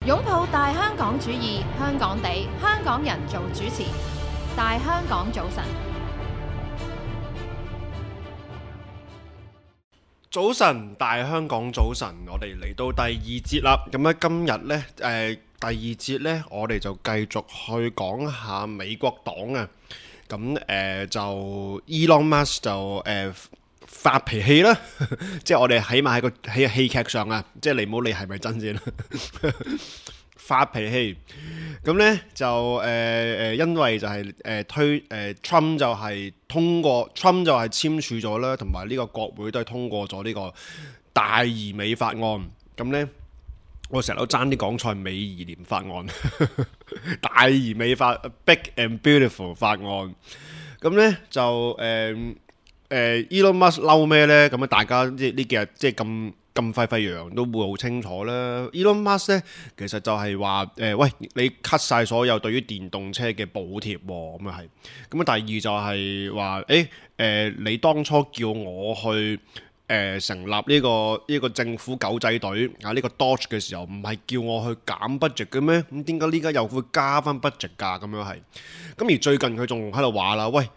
擁抱大香港主義，香港地，香港人做主持。大香港早晨，早晨，大香港早晨，我哋嚟到第二節啦。咁咧今日呢，第二節呢，我哋就繼續去講下美國黨啊。咁就 Elon Musk 就發脾氣啦，即係我哋起碼喺戲劇上啊，即係你唔好理係咪真先啦。發脾氣，咁呢就因為就係Trump 就係通過 Trump 就係簽署咗啦，同埋呢個國會都係通過咗呢個大而美法案。咁呢，我成日都爭啲講錯美而廉法案，大而美法 Big and Beautiful 法案。咁呢就Elon Musk 嬲咩呢？咁啊，大家即係呢幾日即係咁沸沸揚揚都會好清楚啦。Elon Musk 咧，其實就係話喂，你 cut 晒所有對於電動車嘅補貼喎，咁啊係。咁啊，第二就係話你當初叫我去成立呢個政府狗仔隊啊，呢個 Doge 嘅時候，唔係叫我去減 budget 嘅咩？咁點解呢家又會加翻 budget 㗎？咁樣係。咁而最近佢仲喺度話啦，喂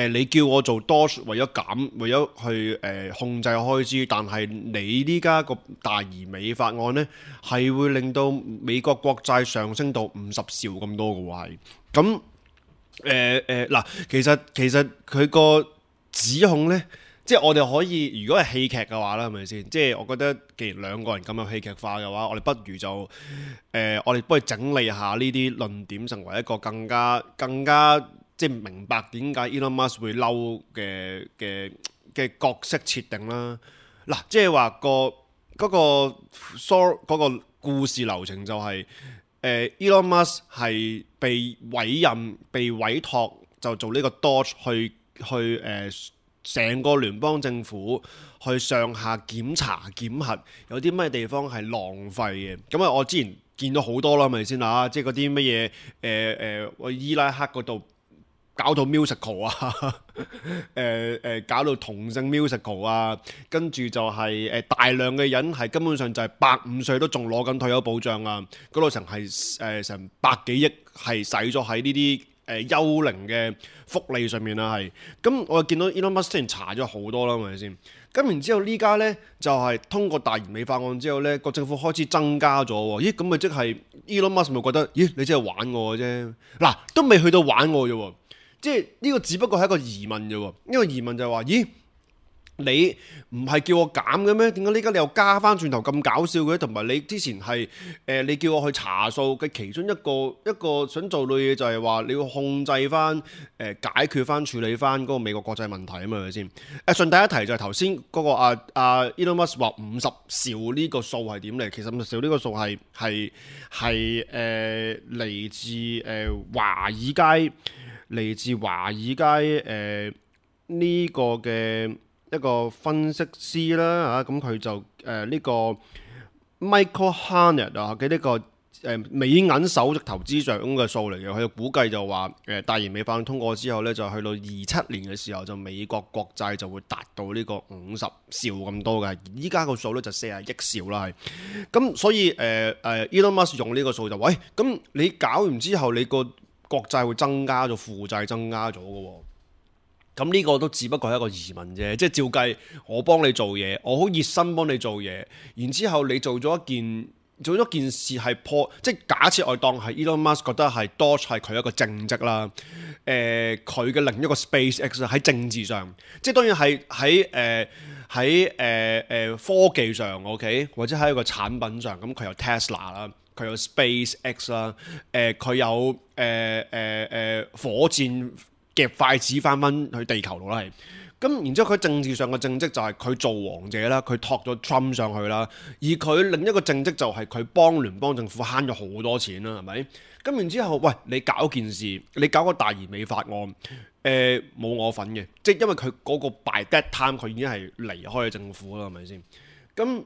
你叫我做 Doge 為咗去控制開支，但係你呢家個大而美法案呢，係會令到美國國債上升到50兆咁多嘅喎係。咁嗱，其實佢個指控呢。即係我哋可以，如果係戲劇嘅話啦，係咪先？即係我覺得，既然兩個人咁有戲劇化嘅話，我哋不如就我哋幫佢整理下呢啲論點，成為一個更加即係明白點解 Elon Musk 會嬲嘅角色設定啦。嗱，即係話嗰個故事流程就係Elon Musk 係被委託就做呢個 Doge 去成個聯邦政府去上下檢查檢核，有啲咩地方係浪費嘅。咁啊，我之前見到好多啦，係咪先啊？即係嗰啲乜嘢伊拉克嗰度搞到 musical 啊，搞到同性 musical 啊，跟住就係大量嘅人係根本上就係150歲都仲攞緊退休保障啊，嗰度成百幾億係使咗喺呢啲幽靈嘅福利上面啦，係咁我見到 Elon Musk 之前查咗好多啦，係咪先？咁然之後呢家呢，就係通過大而美法案之後呢，個政府開始增加咗喎。咦，咁咪即係 Elon Musk 咪覺得，咦，你真係玩我嘅啫？嗱，都未去到玩我啫喎，即係呢個只不過係一個疑問啫喎。呢個疑問就係話，咦？你唔係叫我減嘅咩？點解呢家你又加翻轉頭咁搞笑嘅？同埋你之前係你叫我去查數嘅其中一個想做嘅嘢就係話你要控制翻解決翻處理翻嗰個美國國際問題啊嘛，係咪先？順帶一提就係頭先嗰個Elon Musk 話50兆呢個數係點嚟？其實50兆呢個數係嚟自華爾街呢個嘅一個分析師啦嚇，咁佢就呢個 Michael Harnett 啊嘅呢個美銀首席投資長嘅數嚟嘅，佢估計就話大而美法案通過之後呢，就去到27年嘅時候，就美國國債就會達到呢個50兆咁多嘅，依家個數呢，就40億兆啦係。咁所以Elon Musk 用呢個數就喂，咁你搞完之後，你個國債會增加咗，負債增加咗嘅喎。咁呢個都只不過係一個疑問啫，即係照計我幫你做嘢，我好熱心幫你做嘢，然之後你做咗件事係即係假設我當係 Elon Musk 覺得係 Doge 係佢一個政績啦，佢嘅另一個 SpaceX 喺政治上，即係當然係喺科技上 OK， 或者喺一個產品上，咁佢有 Tesla 啦，佢有 SpaceX 啦，佢有火箭夾筷子翻去地球度啦，係咁。然之後佢政治上嘅政績就係佢做王者啦，佢托咗 Trump 上去啦。而佢另一個政績就係佢幫聯邦政府慳咗好多錢啦，係咪？咁然之後，喂，你搞件事，你搞個大而美法案，冇我份嘅，即係因為佢嗰個 by that time 佢已經係離開咗政府啦，係咪先？咁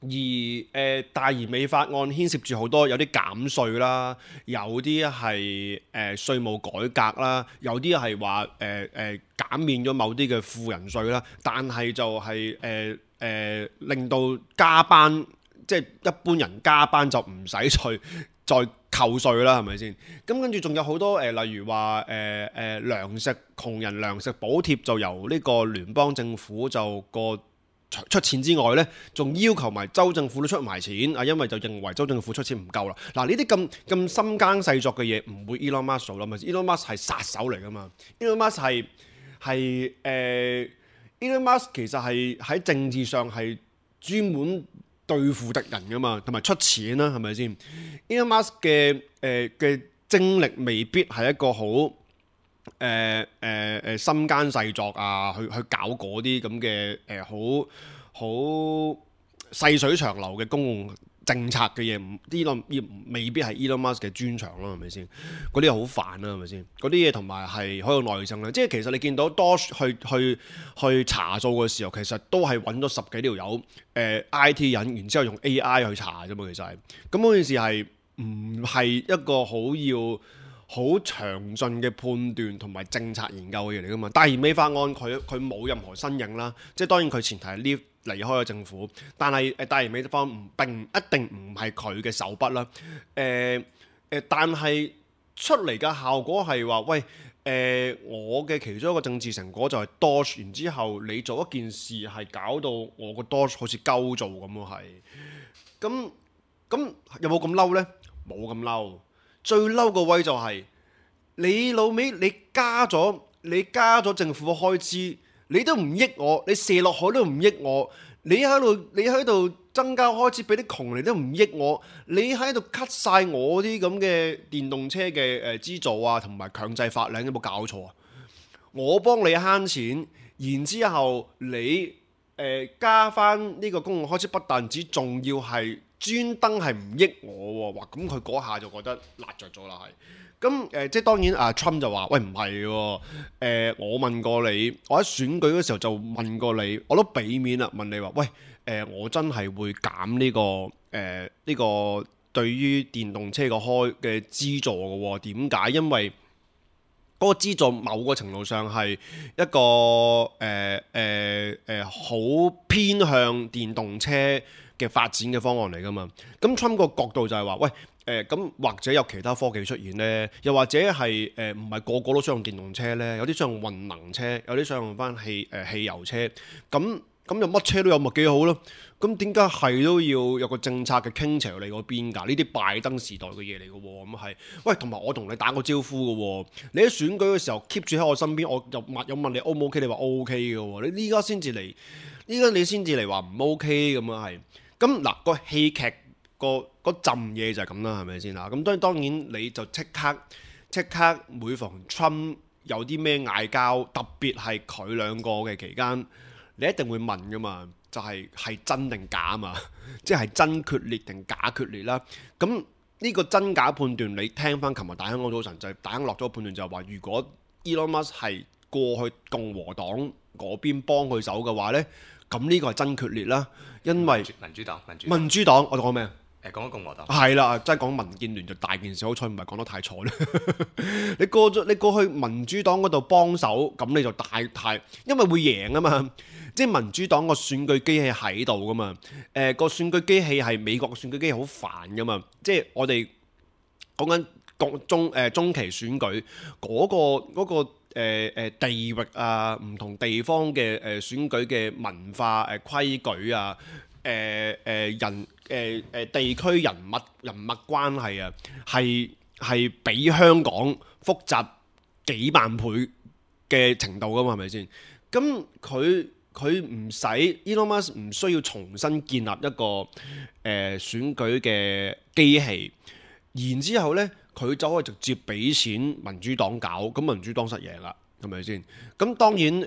而大而美法案牽涉住好多，有啲減稅啦，有啲係稅務改革啦，有啲係話減免咗某啲嘅富人稅啦，但係就係令到加班即係一般人加班就唔使再扣稅啦，係咪先？咁跟住仲有好多例如話糧食窮人糧食補貼就由呢個聯邦政府就出錢之外呢，仲要求埋州政府都出埋錢啊，因為就認為州政府出錢唔夠啦。嗱，呢啲咁深耕細作嘅嘢唔會 Elon Musk 做啦，咪 Elon Musk 係殺手嚟噶嘛。Elon Musk Elon Musk 其實係喺政治上係專門對付敵人噶嘛，同埋出錢啦，係咪先 ？Elon Musk 嘅精力未必係一個好深耕細作啊，去搞嗰啲咁嘅好細水長流嘅公共政策嘅嘢，未必係 Elon Musk 嘅專長咯，係咪先？嗰啲好煩啦，係咪先？嗰啲嘢同埋係好有耐性啦。即係其實你見到多去查數嘅時候，其實都係揾咗10幾條友IT 人，然之後用 AI 去查啫嘛。其實係咁，嗰件事係唔係一個好詳盡嘅判斷同埋政策研究嘅嘢嚟噶嘛？大而美法案佢冇任何身影啦，即係當然佢前提係離開咗政府，但係大而美法案並一定唔係佢嘅手筆啦。但係出嚟嘅效果係話，喂，我嘅其中一個政治成果就係 Doge， 然之後你做一件事係搞到我個 Doge 好似鳩做咁咯，係。咁有冇咁嬲呢？冇咁嬲。最嬲個位就係你老味，你加咗政府嘅開支，你都唔益我，你射落海都唔益我，你喺度增加開支俾啲窮人都唔益我，你喺度 cut 晒我啲咁嘅電動車嘅資助啊，同埋強制法令，有冇搞錯啊？我幫你慳錢，然之後你加翻呢個公共開支，不但止，仲要係專登係唔益我喎，哇！咁佢嗰下就覺得辣着咗啦，係。咁即係當然Trump 就話：喂，唔係喎，我問過你，我喺選舉嗰時候就問過你，我都俾面啦，問你話：喂，我真係會減呢個對於電動車嘅資助嘅喎？點解？因為嗰個資助某個程度上係一個好偏向電動車嘅發展嘅方案嚟㗎嘛。咁 Trump 個角度就係話：喂，咁或者有其他科技出現呢？又或者係唔係個個都想用電動車呢？有啲想用混能車，有啲想用翻汽油車。咁又乜車都有，咪幾好咯？咁點解係都要有個政策嘅傾斜你嗰邊㗎？呢啲拜登時代嘅嘢嚟嘅喎，咁係。喂，同埋我同你打個招呼嘅喎，你喺選舉嘅時候 keep 住喺我身邊，我又問你 O 唔 OK，你話 OK 嘅喎，你依家先至嚟，依家你先至嚟話唔 OK 咁啊係。咁嗱，個戲劇嗰陣嘢就係咁啦，係咪先啊？咁當然你就即刻每逢 Trump 有啲咩嗌交，特別係佢兩個嘅期間，你一定會問噶嘛，就係真定假啊嘛，即係真決裂定假決裂啦。咁呢個真假判斷，你聽翻琴日大香港早晨就係大亨落咗個判斷，就係話如果 Elon Musk 係過去共和黨嗰邊幫佢手嘅話呢，咁呢個係真決裂啦，因為民主黨，我講咩？講緊共和黨係啦，真係講民建聯就大件事，好彩唔係講得太錯咧。你過去民主黨嗰度幫手，咁你就太，因為會贏啊嘛。即係民主黨個選舉機器喺度噶嘛。個選舉機器係美國嘅選舉機器好煩噶嘛。即係我哋講緊中期選舉嗰個地域啊，唔同地方嘅選舉嘅文化規矩啊。地區人物關係啊，係比香港複雜幾萬倍嘅程度噶嘛，係咪先？咁佢唔使 Elon Musk 唔需要重新建立一個選舉嘅機器，然之後呢，佢就可以直接俾錢民主黨搞，咁民主黨實贏啦。係咪先？咁當然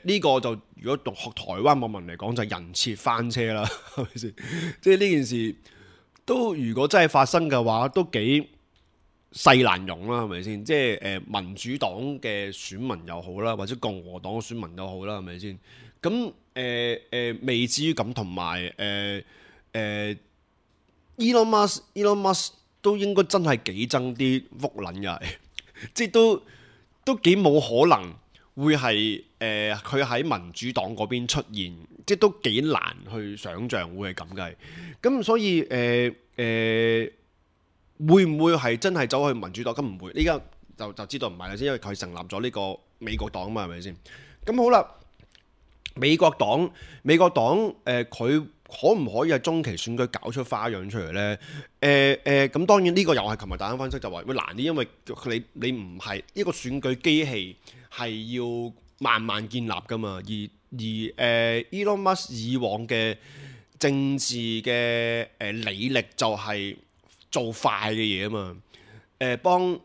呢個就如果學台灣網民嚟講就係人設翻車啦，係咪先？即係呢件事都如果真係發生嘅話，都幾勢難容啦，係咪先？即係民主黨嘅選民又好啦，或者共和黨嘅選民又好啦，係咪先？咁未至於咁，同埋Elon Musk 都應該真係幾憎啲福撚嘅，即係都幾冇可能會係佢喺民主黨嗰邊出現，即係都幾難去想像會係咁嘅。咁所以會唔會係真係走去民主黨？咁唔會，呢家就知道唔係啦先，因為佢成立咗呢個美國黨嘛，係咪先？咁好啦，美國黨佢可唔可以喺中期選舉搞出花樣出嚟呢？咁當然呢個又係琴日大家分析就話會難啲，因為你唔係一個選舉機器，係要慢慢建立噶嘛。而Elon Musk 以往嘅政治嘅履歷就係做快嘅嘢啊嘛。幫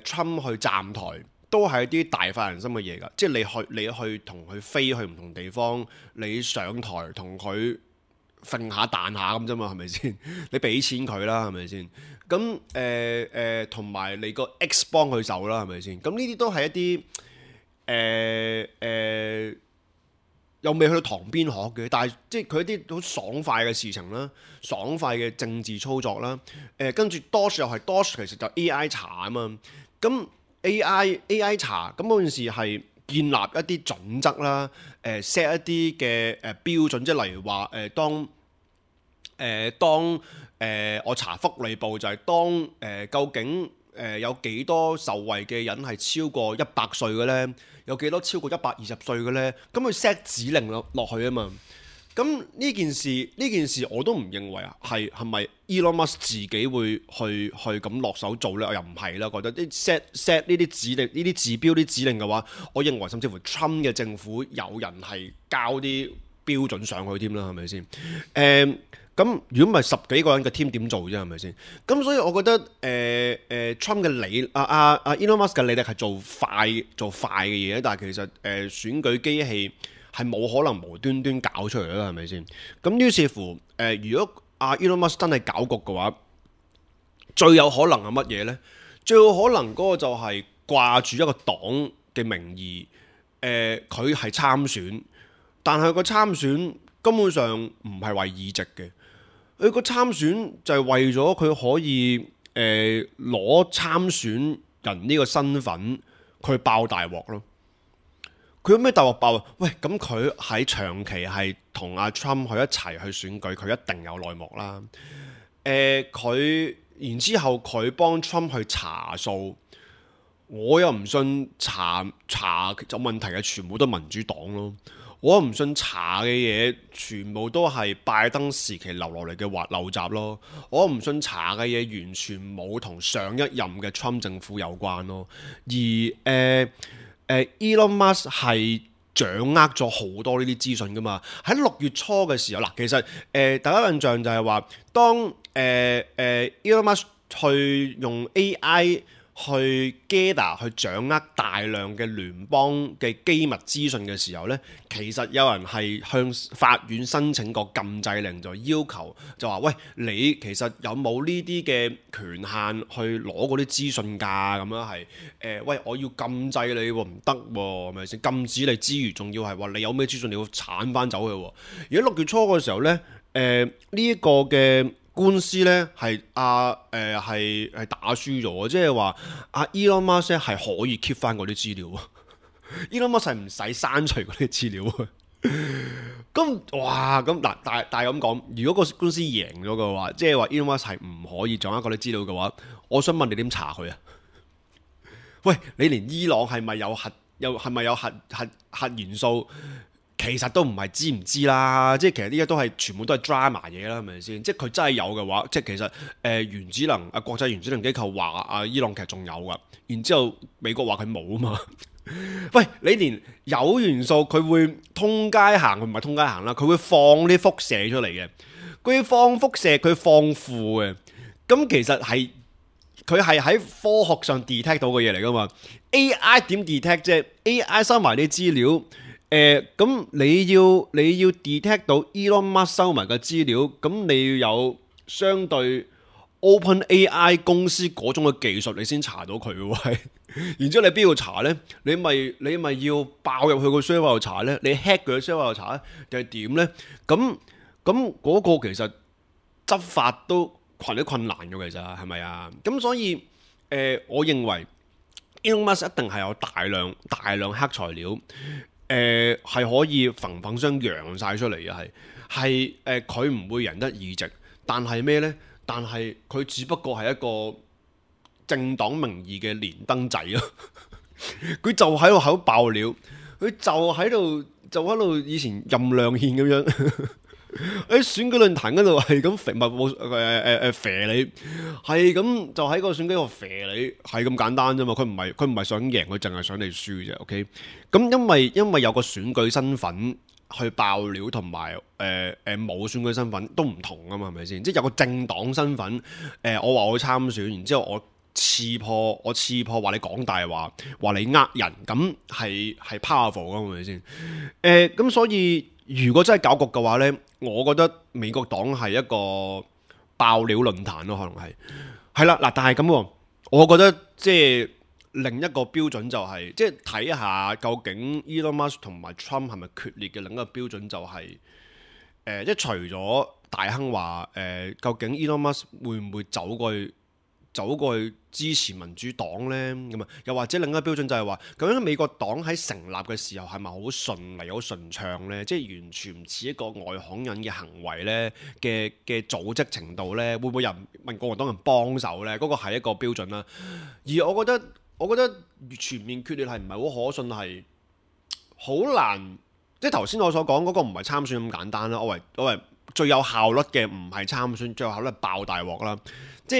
Trump 去站台都係一啲大快人心嘅嘢㗎，即係你去同佢飛去唔同地方，你上台同佢揈下彈下咁啫嘛，係咪先？你俾錢佢啦，係咪先？咁同埋你個 X 幫佢手啦，係咪先？咁呢啲都係一啲又未去到旁邊學嘅，但係即係佢一啲好爽快嘅事情啦，爽快嘅政治操作啦。跟住 Doge 又係 Doge，其實就 AI 查啊嘛。咁 AI 查，咁嗰件事係建立一啲準則啦，set 一啲嘅標準，即係例如話當我查福利部就係究竟有幾多受惠嘅人係超過100歲嘅呢？有幾多超過120歲嘅呢？咁佢 set 指令落去啊嘛。咁呢件事我都唔認為係咪 Elon Musk 自己會去咁落手做呢？我又唔係啦，覺得啲 set 呢啲指令、呢啲指標、啲指令嘅話，我認為甚至乎 Trump 嘅政府有人係交啲標準上去添啦，係咪先？咁如果唔係10幾個人嘅 team 點做啫？係咪先？咁所以我覺得Trump 嘅Elon Musk 嘅履歷係做快嘅嘢，但係其實選舉機器係冇可能無端端搞出嚟啦，係咪先？咁於是乎如果Elon Musk 真係搞局嘅話，最有可能係乜嘢呢？最有可能嗰個就係掛住一個黨嘅名義，佢係參選，但係個參選根本上唔係為議席嘅。佢個參選就係為咗佢可以攞參選人呢個身份，佢爆大鑊咯。佢有咩大鑊爆啊？喂，咁佢喺長期係同阿 Trump 去一齊去選舉，佢一定有內幕啦。佢然之後佢幫 Trump 去查數，我又唔信查有問題嘅全部都民主黨咯。我唔信查嘅嘢全部都係拜登時期留落嚟嘅陋習咯。我唔信查嘅嘢完全冇同上一任嘅 Trump 政府有關咯。而Elon Musk 係掌握咗好多呢啲資訊噶嘛。喺6月初嘅時候，嗱，其實大家印象就係話，當Elon Musk 去用 AI 去 gather 去掌握大量嘅聯邦嘅機密資訊嘅時候呢，其實有人係向法院申請個禁制令，就要求就話：喂，你其實有冇呢啲嘅權限去攞嗰啲資訊㗎？咁樣係喂，我要禁制你喎，唔得喎，係咪先？禁止你之餘，仲要係話你有咩資訊你要剷翻走佢喎。而喺6月初嘅時候呢，呢一個嘅官司咧係係打輸咗，即係話Elon Musk 係可以 keep 翻嗰啲資料，Elon Musk 係唔使刪除嗰啲資料。咁哇，咁嗱，但係咁講，如果個官司贏咗嘅話，即係話 Elon Musk 係唔可以掌握嗰啲資料嘅話，我想問你點查佢啊？喂，你連伊朗係咪有核元素？其實都唔係知唔知啦，即係其實呢家都係全部都係 drama 嘢啦，係咪先？即係佢真係有嘅話，即係其實原子能國際原子能機構話伊朗其實仲有噶，然之後美國話佢冇啊嘛。喂，你連有元素佢會通街行，佢唔係通街行啦，佢會放啲輻射出嚟嘅，佢放輻射佢放負嘅，咁其實係佢係喺科學上 detect 到嘅嘢嚟噶嘛。AI 點 detect 啫？AI 收埋啲資料。咁你要 detect 到 Elon Musk 收埋嘅資料，咁你要有相對 OpenAI 公司嗰種嘅技術，你先查到佢喎。然之後你邊度查呢？你咪要爆入去個 server 度查呢？你 hack 佢個 server 度查呢？定係點呢？咁嗰個其實執法都困難嘅，其實係咪啊？咁所以我認為 Elon Musk 一定係有大量黑材料。係可以砰砰聲揚晒出嚟嘅，係佢唔會贏得議席，但係咩呢？但係佢只不過係一個政黨名義嘅連登仔咯，佢就喺度口爆料，佢就喺度以前任亮憲咁樣。喺選舉論壇嗰度係咁肥你，係咁就喺個選舉度肥你，係咁簡單啫嘛。佢唔係想贏，佢淨係想你輸啫。OK，咁因為有個選舉身份去爆料，同埋冇選舉身份都唔同啊嘛，係咪先？即係有個政黨身份，我話我參選，然之後我刺破話你講大話，話你呃人，咁係 powerful 噶，係咪先？咁所以如果真係搞局嘅話呢，我覺得美國黨係一個爆料論壇咯，可能係啦嗱。但係咁，我覺得即係另一個標準就係即係睇下究竟 Elon Musk 同埋 Trump 係咪決裂嘅另一個標準就係即係除咗大亨話究竟 Elon Musk 會唔會走過去支持民主黨呢？咁啊，又或者另一個標準就係話，究竟美國黨喺成立嘅時候係咪好順利、好順暢呢？即係完全唔似一個外行人嘅行為呢嘅組織程度呢？會唔會有人問共和黨人幫手呢？嗰個係一個標準啦。而我覺得全面決裂係唔係好可信，係好難。即係頭先我所講嗰個唔係參選咁簡單啦。我為最有效率嘅唔係參選，最有效率係爆大鑊啦。即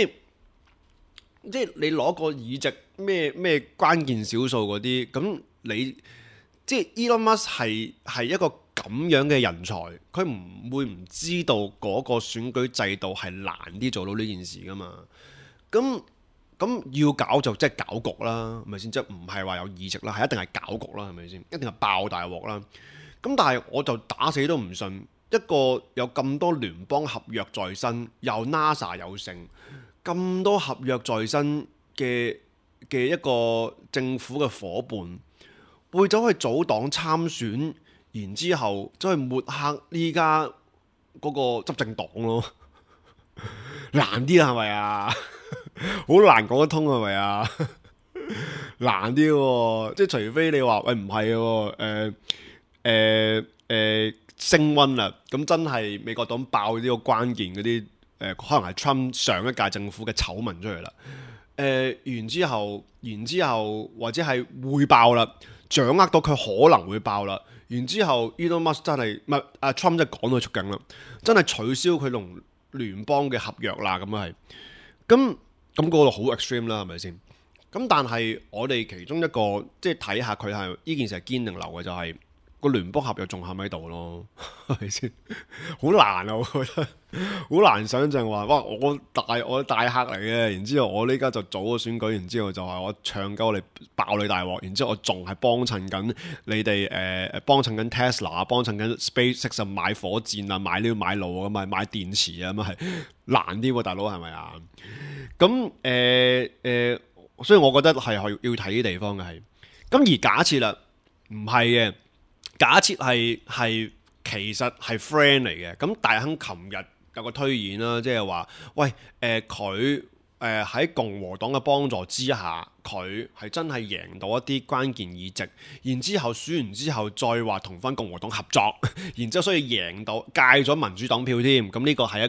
係你攞個議席咩關鍵少數嗰啲，咁你即係 Elon Musk 係一個咁樣嘅人才，佢唔會唔知道嗰個選舉制度係難啲做到呢件事噶嘛？咁要搞就即係搞局啦，係咪先？即係唔係話有議席啦，係一定係搞局啦，係咪先？一定係爆大鑊啦。咁但係我就打死都唔信一個有咁多聯邦合約在身，又 NASA 有成。咁多合約在身嘅一個政府嘅伙伴，會走去組黨參選，然之後走去抹黑呢家嗰個執政黨咯，難啲係咪啊？好難講得通係咪啊？難啲喎，即係除非你話喂唔係喎，升溫啦，咁真係美國黨爆呢個關鍵嗰啲。可能係 Trump 上一屆政府嘅醜聞出嚟啦，然之後或者係會爆啦，掌握到佢可能會爆啦，然之後 Elon Musk 真係唔係阿 Trump 真係趕到出境啦，真係取消佢同聯邦嘅合約啦，咁係，咁嗰度好 extreme 啦，係咪先？咁但係我哋其中一個即係睇下佢係呢件事係堅定流嘅就係、是。個聯邦合約仲喺度咯，係咪先？好難啊，我覺得好難想象話，哇！我大客嚟嘅，然之後我呢家就早個選舉，然之後就話我唱鳩你爆你大鑊，然之後我仲係幫襯緊你哋幫襯緊 Tesla， 幫襯緊 SpaceX 買火箭啊，買料買路啊，買電池啊，咁係難啲喎，大佬係咪啊？咁所以我覺得係要睇啲地方嘅係。咁而假設啦，唔係嘅。假設係其實係 friend 嚟嘅，咁大亨琴日有個推演啦，即係話，喂，佢喺共和黨嘅幫助之下，佢係真係贏到一啲關鍵議席，然之後選完之後再話同翻共和黨合作，然之後所以贏到戒咗民主黨票添，咁呢個係一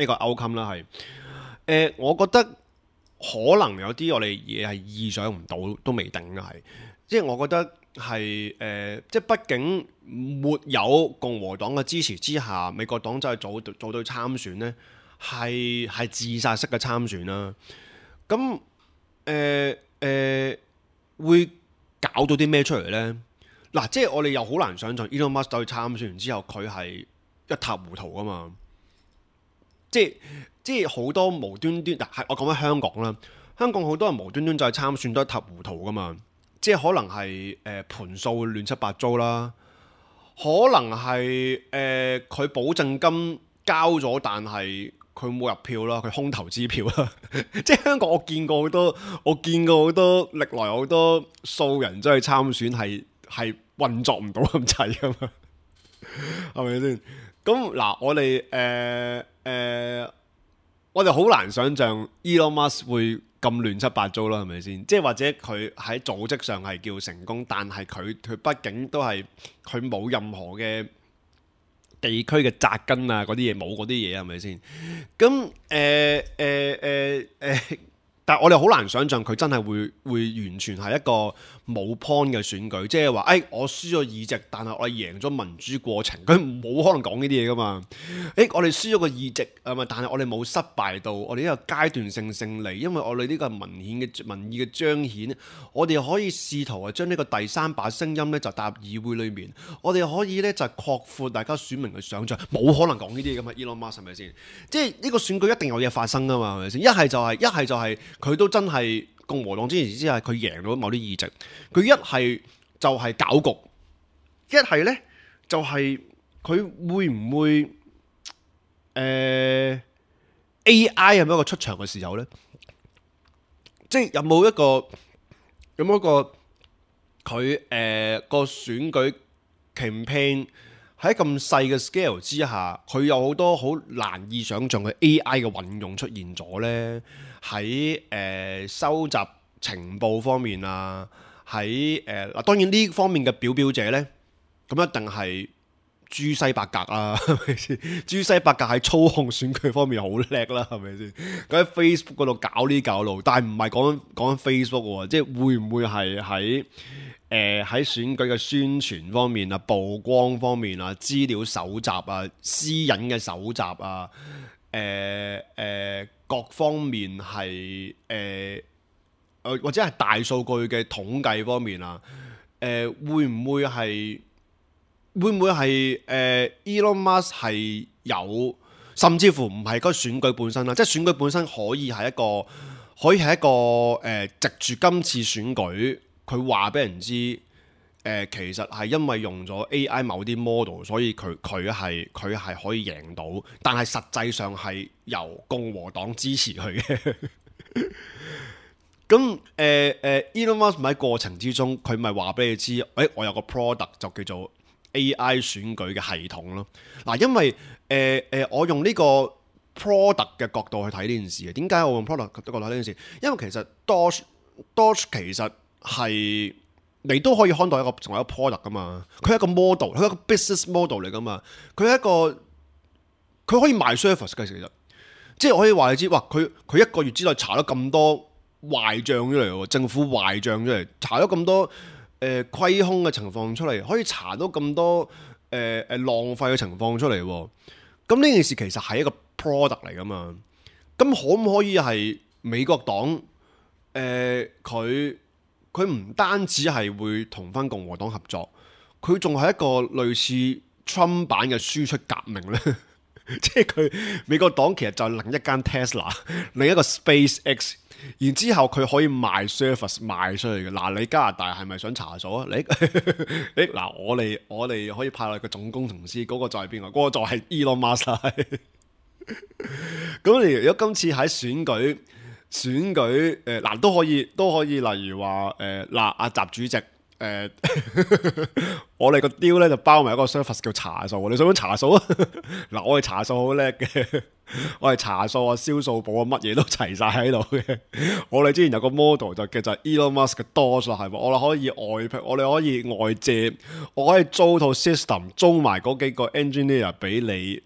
個 outcome 啦，係，我覺得可能有啲我哋嘢係意想唔到都未定嘅，係，即係我覺得。係即係畢竟沒有共和黨嘅支持之下，美國黨真係組隊參選呢，係自殺式嘅參選啦。咁會搞到啲咩出嚟呢？嗱，即係我哋又好難想像 Elon Musk 走去參選完之後，佢係一塌糊塗噶嘛。即係好多無端端，嗱，我講翻香港啦，香港好多人無端端就係參選都一塌糊塗噶嘛。即係可能係盤數亂七八糟啦，可能係佢保證金交咗，但係佢冇入票啦，佢空頭支票啦。即係香港我見過好多歷來好多素人真係參選係運作唔到咁滯噶嘛，係咪先？咁嗱，我哋好難想像 Elon Musk 會咁亂七八糟啦，係咪先？即係或者佢喺組織上係叫成功，但係佢畢竟都係佢冇任何嘅地區嘅紮根啊，嗰啲嘢冇嗰啲嘢係咪先？咁但係我哋好難想像佢真係會完全係一個冇 point 嘅選舉，即係話我輸咗議席，但係我哋贏咗民主過程，佢冇可能講呢啲嘢噶嘛？我哋輸咗個議席但係我哋冇失敗到，我哋呢個階段性勝利，因為我哋呢個係民意嘅彰顯，我哋可以試圖將呢個第三把聲音呢就帶入議會裏面，我哋可以呢就擴闊大家選民嘅想像，冇可能講呢啲嘢噶嘛？Elon Musk 係咪先？即係呢個選舉一定有嘢發生噶嘛？係咪先？一係就係佢都真係共和黨之前之下，佢贏咗某啲議席，佢一係就係搞局，一係呢就係佢會唔會AI 係咪一個出場嘅時候呢？即係有冇一個佢個選舉 campaign 喺咁細嘅 scale 之下，佢有好多好難以想像嘅 AI 嘅運用出現咗呢？喺收集情報方面啊，喺當然呢方面嘅表者呢，咁一定係朱西伯格啊，係咪先？朱西伯格喺操控選舉方面好叻啦，係咪先？佢喺 Facebook 嗰度搞呢搞路，但係唔係講緊 Facebook 喎，即係會唔會係喺選舉嘅宣傳方面啊、曝光方面啊、資料搜集啊、私隱嘅搜集啊、各方面係或者係大數據嘅統計方面啊，會唔會係Elon Musk 係有，甚至乎唔係嗰個選舉本身啦，即係選舉本身可以係一個藉住今次選舉，佢話俾人知，其實係因為用咗 AI 某啲 model， 所以佢係可以贏到，但係實際上係由共和黨支持佢嘅。咁Elon Musk 喺過程之中，佢咪話俾你知，我有個 product 就叫做 AI 選舉嘅系統咯。嗱，因為我用呢個 product 嘅角度去睇呢件事嘅。點解我用 product 嘅角度睇呢件事？因為其實 Doge 其實係你都可以看待成為一個 product 噶嘛。佢係一個 model， 佢係一個 business model 嚟噶嘛。佢可以賣 service 嘅，其實即係可以話你知，哇！佢一個月之內查咗咁多壞賬出嚟喎，政府壞賬出嚟，查咗咁多虧空嘅情況出嚟，可以查到咁多浪費嘅情況出嚟喎。咁呢件事其實係一個 product 嚟噶嘛。咁可唔可以係美國黨佢唔單止係會同翻共和黨合作，佢仲係一個類似 Trump 版嘅輸出革命呢？即係佢美國黨其實就係另一間 Tesla， 另一個 SpaceX， 然之後佢可以賣 service 賣出去嘅。嗱，你加拿大係咪想查數啊？嗱，我哋可以派落個總工程師，嗰個就係邊個？嗰個就係 Elon Musk。咁你如果今次喺選舉嗱都可以，例如話阿習主席。我哋個 deal 咧就包埋一個 service 叫查數，你想唔想查數啊？嗱，我哋查數好叻嘅，我哋查數啊、銷數簿啊，乜嘢都齊晒喺度嘅。我哋之前有個 model 就叫做 Elon Musk 嘅 Doge 啦，係咪？我哋可以外借，我可以租套 system， 租埋嗰幾個 engineer 俾你，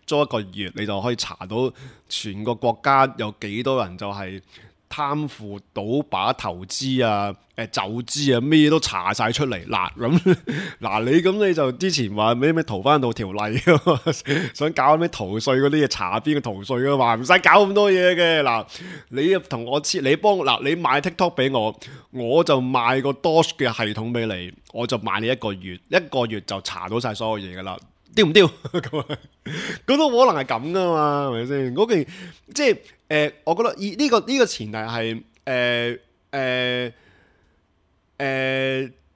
租一個月，你就可以查到全個國家有幾多人就係貪腐、賭把、投資啊、走資啊，咩都查晒出嚟。你就之前話咩逃翻到條例想搞咩逃稅嗰啲嘢，查邊個逃稅啊嘛，唔使搞咁多嘢嘅。嗱，你同我你買 TikTok 俾我，我就賣個 Doge 嘅系統俾你，我就賣你一個月就查到晒所有嘢噶啦。丟唔丟？咁都可能係咁噶嘛，係咪先？嗰件即係我覺得呢個前提係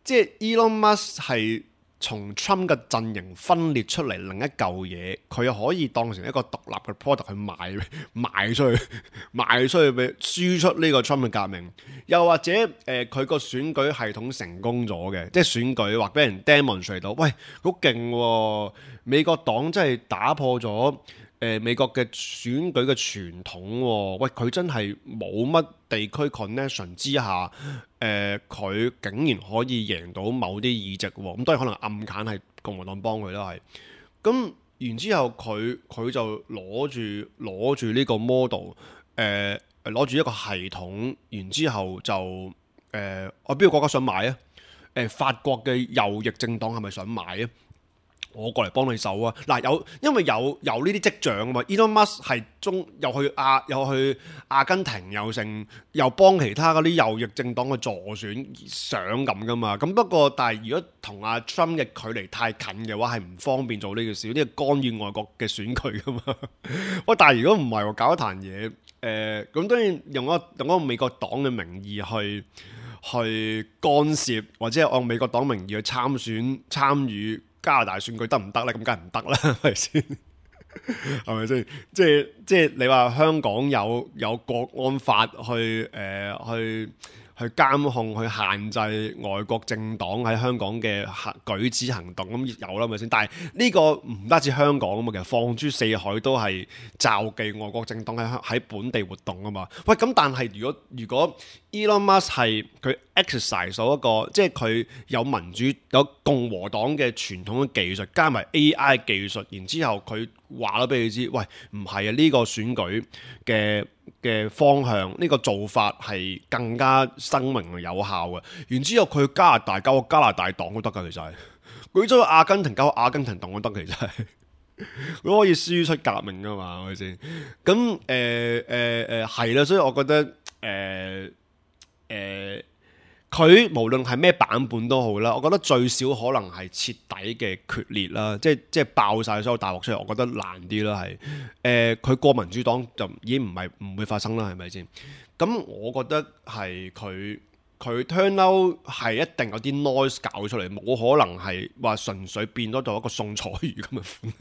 即係 Elon Musk 係從 Trump 嘅陣營分裂出嚟另一嚿嘢，佢可以當成一個獨立嘅 product 去賣出去俾輸出呢個 Trump 嘅革命，又或者佢個選舉系統成功咗嘅，即係選舉或俾人 demonstrate 到，喂，好勁喎！美國黨真係打破咗美國嘅選舉嘅傳統喎，喂佢真係冇乜地區 connection 之下，佢竟然可以贏到某啲議席喎，咁當然可能暗揀係共和黨幫佢啦，係，咁然之後佢就攞住呢個 model，攞住一個系統，然之後就我邊個國家想買啊？法國嘅右翼政黨係咪想買啊？我過嚟幫你手啊！嗱，因為有呢啲跡象啊嘛。Elon Musk 係又去阿根廷又幫其他嗰啲右翼政黨嘅助選想咁噶嘛。咁不過但係如果同阿 Trump 嘅距離太近嘅話，係唔方便做呢件事，呢個干預外國嘅選舉噶嘛。喂，但係如果唔係搞一壇嘢，咁當然用一個美國黨嘅名義去干涉，或者係按美國黨名義去參與加拿大選舉得唔得咧？咁梗係唔得啦，係咪先？係咪先？即係你話香港有國安法去監控、去限制外國政黨喺香港嘅舉止行動，咁有啦，係咪先？但係呢個唔單止香港啊嘛，其實放諸四海都係罩忌外國政黨喺本地活動啊嘛。喂，咁但係如果 Elon Musk 係佢 exercise 咗一個，即係佢有民主有共和黨嘅傳統嘅技術，加埋 AI 技術，然之後佢話咗俾你知，喂，唔係啊，呢個選舉嘅方向，呢個做法係更加生命有效嘅。然之後佢加拿大搞個加拿大黨都得㗎，其實係佢咗阿根廷搞個阿根廷黨都得，其實係佢可以輸出革命㗎嘛，係咪先？咁係啦，所以我覺得佢無論係咩版本都好啦，我覺得最少可能係徹底嘅決裂啦，即係爆晒所有大鑊出嚟，我覺得難啲啦，係佢過民主黨就已經唔會發生啦，係咪先？咁我覺得係佢 turn out 係一定有啲 noise 搞出嚟，冇可能係話純粹變咗做一個宋楚瑜咁嘅款，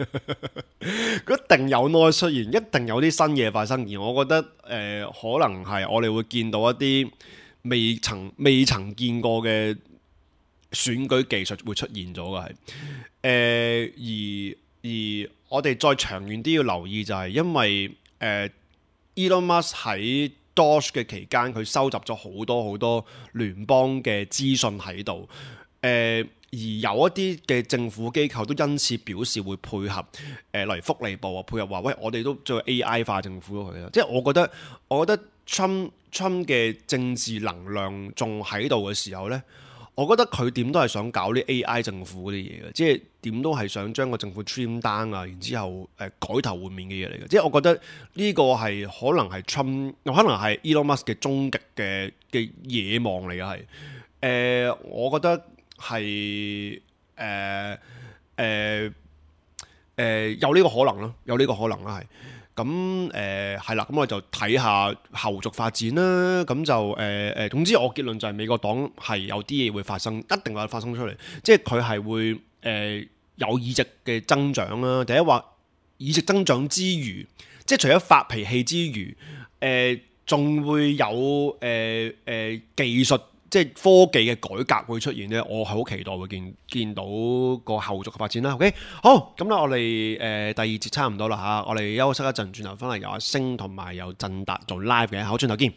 佢一定有 noise 出現，一定有啲新嘢發生，而我覺得可能係我哋會見到一啲未曾見過嘅選舉技術會出現咗嘅係，而我哋再長遠啲要留意就係因為Elon Musk 喺 Doge 嘅期間，佢收集咗好多聯邦嘅資訊喺度，而有一啲嘅政府機構都因此表示會配合，例如福利部啊配合話，喂，我哋都做 AI 化政府咯佢啦，即係我覺得 Trump 嘅政治能量仲喺度嘅時候呢，我覺得佢點都係想搞啲 AI 政府嗰啲嘢嘅，即係點都係想將個政府 trim down 啊，然之後改頭換面嘅嘢嚟嘅，即係我覺得呢個係可能係 Trump，可能係 Elon Musk 嘅終極嘅野望嚟嘅係，我覺得係有呢個可能咯，有呢個可能啦係。咁係啦，咁我就睇下後續發展啦。咁就總之我結論就係美國黨係有啲嘢會發生，一定會發生出嚟。即係佢係會有議席嘅增長啦。第一話議席增長之餘，即係除咗發脾氣之餘，仲會有技術。即係科技嘅改革會出現呢，我係好期待會見到個後續嘅發展啦。OK， 好，咁咧我哋第二節差唔多啦嚇，我哋休息一陣，轉頭翻嚟有阿星同埋有振達做 live 嘅，好，轉頭見。